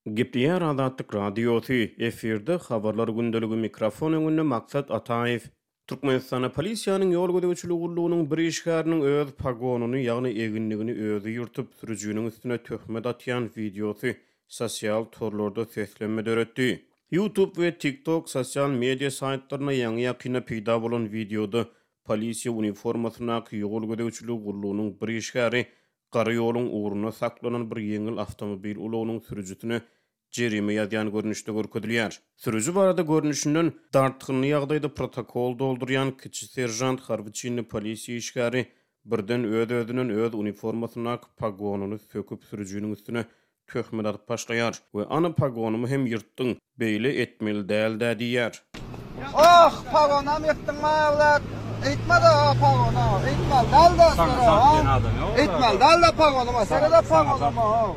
Gepleýär Azatlyk Radiosy, efirde Habarlar gündeligi mikrofon öňünde Maksat Ataýew. Türkmenistanda polisiýanyň ýol gözegçiligi gullugynyň bir işgäriniň öz pogonyny, ýagny eginligini özi ýyrtyp, sürüjiniň üstüne töhmet atýan wideosy sosial torlarda seslenme döretdi. YouTube we TikTok sosial media saýtlarynda ýaňy-ýakynda peýda bolan wideoda polisiýa uniformasyndaky ýol gözegçiligi gullugynyň bir işgäri gara ýoluň ugrunda saklanan bir ýeňil awtomobil ulagynyň sürüjisine jerime ýazýan görnüşde görkezilýär. Sürüji barada görnüşinden, dartgynly ýagdaýda protokol doldurýan kiçi seržant harby çinli polisiýa işgäri birden öz-özünden öz uniformasyndaky pogonyny söküp sürüjiniň üstüne Töhmet atyp başlaýar we ana pogonymy hem ýyrtdyň, beýle etmeli däl-dä diýýär. Oh, pagonam ýyrtdyň maýawlat. Eýtme-de o pagona, eýtmeli däl-de sere-o. Eýtmeli däl-de pagonyma, sere-de pagonyma-ow.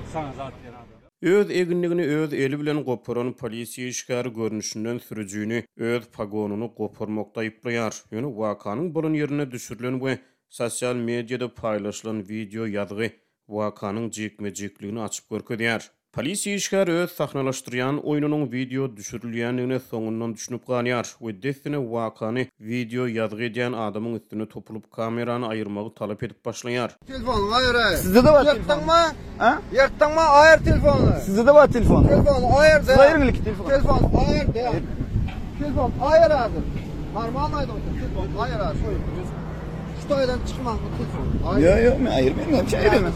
Öz eginligini öz eli bilen goparan polisiýa işgäri görnüşinden sürüjini öz pogonyny goparmakda aýyplaýar. Ýöne wakanyň bolan ýerinde düşürilen we sosial mediada paýlaşylan wideo ýazgy wakanyň jikme-jikligini açyp görkezýär. Polisiýa işgäri öz sahnalaşdyrýan oýnunyň wideo düşürilýändigine soňundan düşünip galýar we dessine wakany wideo ýazgy edýän adamyň üstüne topulyp kamerany aýyrmagy talap edip başlaýar. Telefonyňy aýyraý. Sizde-de bar telefon. Ýyrtdyňmy? A? Ýyrtdyňmy? Aýyr telefony. Sizde-de bar telefon. Telefony aýyr Siz aýyryň ilki telefony. Telefony aýyr de. Telefony aýyr häzir. Normal aýdyp otur. Telefony aýyr häzir. Şu taýdan çykman bu telefony. Ýok, ýok, men aýyrmaýyn, näme üçin aýyrýan?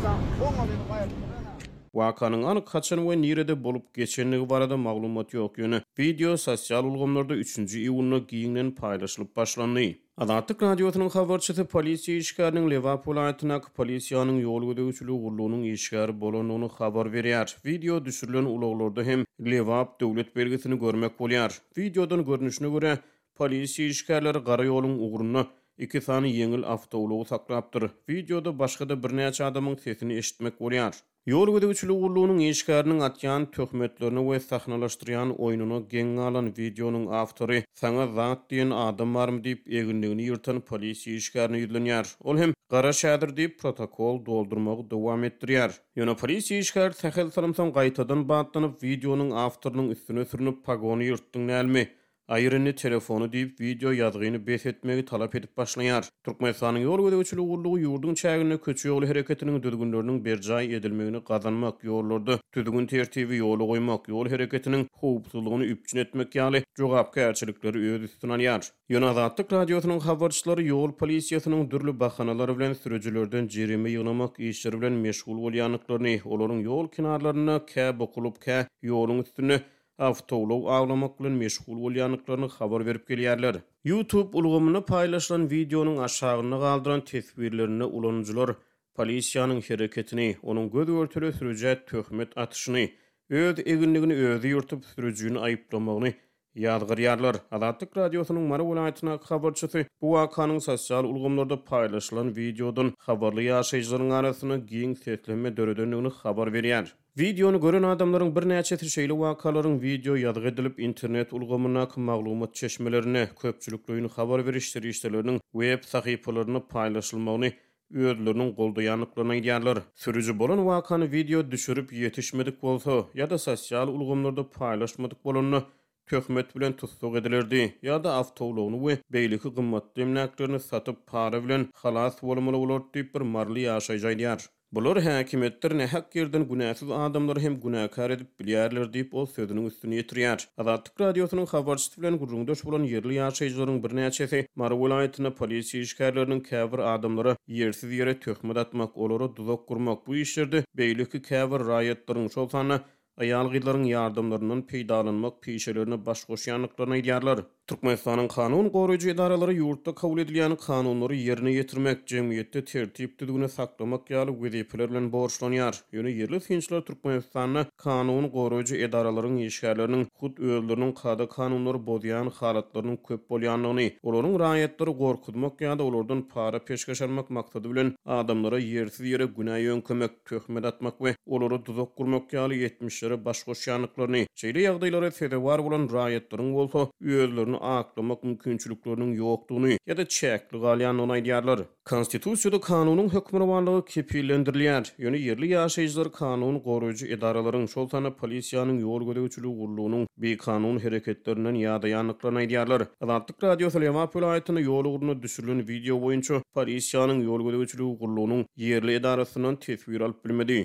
Wakanyň anyk haçan we nirede bolup geçendigi barada maglumat ýok, ýöne wideo sosial ulgamlarda üçünji iýunda giňden paýlaşylyp başlandy. Azatlyk Radiosynyň habarçysy polisiýa işgäriniň Lebap welaýatyndaky polisiýanyň ýol gözegçiligi gullugynyň işgäri bolandygyny habar berýär. Wideo düşürilen ulaglarda hem Lebap döwlet belgisini görmek bolýar. Wideodan görnüşine görä, Polisiýa işgärleri gara ýoluň ugrunda iki sany ýeňil awtoulagy saklapdyr. Wideoda başga-da birnäçe adamyň sesini eşitmek bolýar. Ýol gözegçiligi gullugynyň işgäriniň atýan töhmetlerine we sahnalaşdyrýan oýnuna geň galan wideonyň awtory Saňa zat diýen adam barmy diýip, eginligini ýyrtan polisiýa işgärine ýüzlenýär. Ol hem Garaş häzir diýip, protokol doldurmagy dowam etdirýär. Ýöne polisiýa işgäri sähel salym soň gaýtadan batlanyp, wideonyň awtorynyň üstüne sürnüp, Pogony ýyrtdyň dälmi? Aýyr indi telefony diýip, wideo ýazgyny bes etmegi talap edip başlaýar. Türkmenistanyň Ýol gözegçiligi gullugy ýurduň çäginde köçe ýoly hereketiniň düzgünleriniň berjaý edilmegini gazanmak, ýollarda düzgün-tertibi ýola goýmak, ýol hereketiniň howpsuzlygyny üpjün etmek ýaly jogapkärçilikleri öz üstüne alýar. Ýöne Azatlyk Radiosynyň habarçylary ýol polisiýasynyň dürli bahanalar bilen sürüjilerden jerime ýygnamak işleri bilen meşgul bolýandyklaryny, olaryň ýol kenarlarynda kä bukulyp, kä ýoluň üstünde awtoulag awlamak bilen meşgul bolýandyklaryny habar berip gelýärler. YouTube ulgamynda paýlaşylan wideonyň aşagynda galdyran teswirlerinde ulanyjylar polisiýanyň hereketini, onuň göz-görtele sürüjä töhmet atyşyny, öz eginligini özi ýyrtyp, sürüjini aýyplamagyny ýazgarýarlar. Azatlyk Radiosynyň Mary welaýatyndaky habarçysy bu wakanyň sosial ulgamlarda paýlaşylan wideodan habarly ýaşaýjylaryň arasynda giň seslenme döredendigini habar berýär. Wideony gören adamlaryň birnäçesi şeýle wakalaryň wideo ýazgy edilip, internet ulgamyndaky maglumat çeşmelerinde, köpçülikleýin habar beriş serişdeleriniň web sahypalarynda paýlaşylmagyny özleriniň goldaýandyklaryny aýdýarlar. Sürüji bolan wakany wideo düşürip ýetişmedik bolsa ýa-da sosial ulgamlarda paýlaşmadyk bolanda, töhmet bilen tussag edilerdi ýa-da awtoulagyny we beýleki gymmatly emläklerini satyp, para bilen halas bolmaly bolardy diýip, bir maryly ýaşaýjy aýdýar. Bular häkimiýetler nähak ýerden günäsiz adamlary hem günäkär edip bilýärler diýip, ol sözüniň üstüni ýetirýär. Azatlyk Radiosynyň habarçysy bilen gürrüňdeş bolan ýerli ýaşaýjylaryň birnäçesi Mary welaýatynda polisiýa işgärleriniň käbir adamlara ýersiz ýere töhmet atmak, olara duzak gurmak, bu işlerde beýleki käbir raýatlaryň, şol sanda aýal-gyzlaryň ýardamlaryndan peýdalanmak pişelerine baş goşýandyklaryny aýdýarlar. Türkmenistanyň kanun goraýjy edaralary ýurtda kabul edilýän kanunlary ýerine ýetirmek, jemgyýetde tertip-düzgüni saklamak ýaly wezipeler bilen borçlanýar. Ýöne ýerli synçylar Türkmenistanda kanun goraýjy edaralaryň işgärleriniň hut özleriniň kada-kanunlary bozýan halatlarynyň köp bolýandygyny, olaryň raýatlary gorkuzmak ýa-da olardan para-peşgeş almak maksady bilen adamlara ýersiz ýere günä ýöňkemek, töhmet atmak we olara duzak gurmak ýaly etmişleri. işlere baş goşýandyklaryny, şeýle ýagdaýlara sezewar bolan raýatlaryň bolsa özlerini aklamak mümkinçilikleriniň ýokdugyny ýa-da çäkli galýandygyny aýdýarlar. Konstitusiýada kanunyň hökmürowanlygy kepillendirilýär. Ýöne ýerli ýaşaýjylar kanun goraýjy edaralaryň, şol sanda polisiýanyň ýol gözegçiligi gullugynyň bikanun hereketlerinden ýadaýandyklaryny aýdýarlar. Azatlyk Radiosy Lebap welaýatynda ýol ugrunda düşürilen wideo boýunça polisiýanyň ýol gözegçiligi gullugynyň ýerli edarasyndan teswir alyp bilmedi.